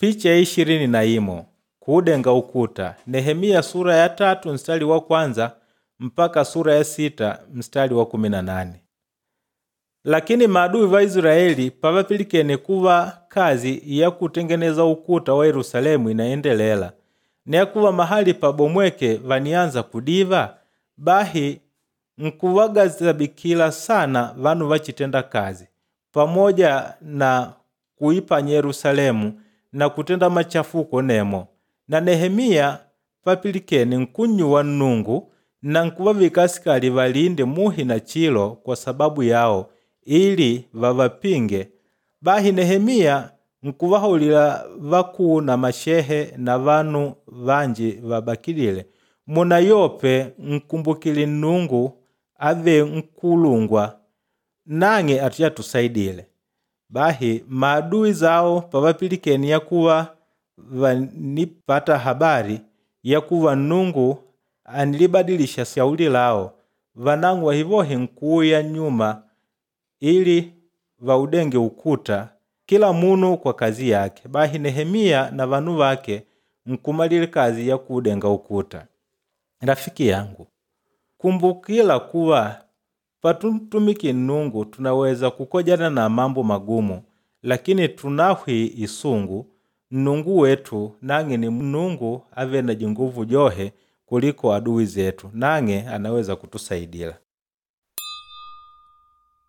Picha ya 21 kuudenga ukuta Nehemiya sura ya 3 mstari wa kwanza mpaka sura ya 6 mstari wa 18. Lakini maadui va Israeli pavapilikene kuva kazi ya kutengeneza ukuta wa Yerusalemu inaendelela nekuva mahali pabomweke vanianza kudiva, bahi nkuvagazabikila sana vanu vachitenda kazi pamoja na kuipanya Yerusalemu na kutenda machafuko nemo. Na Nehemiya papilikene nkunnyuwa Nnungu na nkuvavika asikali valinde muhi na chilo kwa sababu yao ili vavapinge. Bahi Nehemiya nkuvahaulila vakuu na mashehe na vanu vanji vabakilile, munayope nkumbukile Nnungu ave nkulungwa nang'e atiyatusaidile. Bahi maadui zao pavapilikene yakuva vanipata habari yakuva Nnungu anilibadilisha shauli lao, vanang'o wahivohi nkuuya nyuma ili vaudenge ukuta kila munu kwa kazi yake. Bahi Nehemiya na vanu vake nkumalila kazi ya kuudenga ukuta. Rafiki yangu, kumbukila kuva patuntumiki Nnungu tunaweza kukojana na mambo magumu, lakini tunahwi isungu Nnungu wetu nang'e ni Nnungu ave na jinguvu johe kuliko aduwi zetu, nang'e anaweza kutusaidila.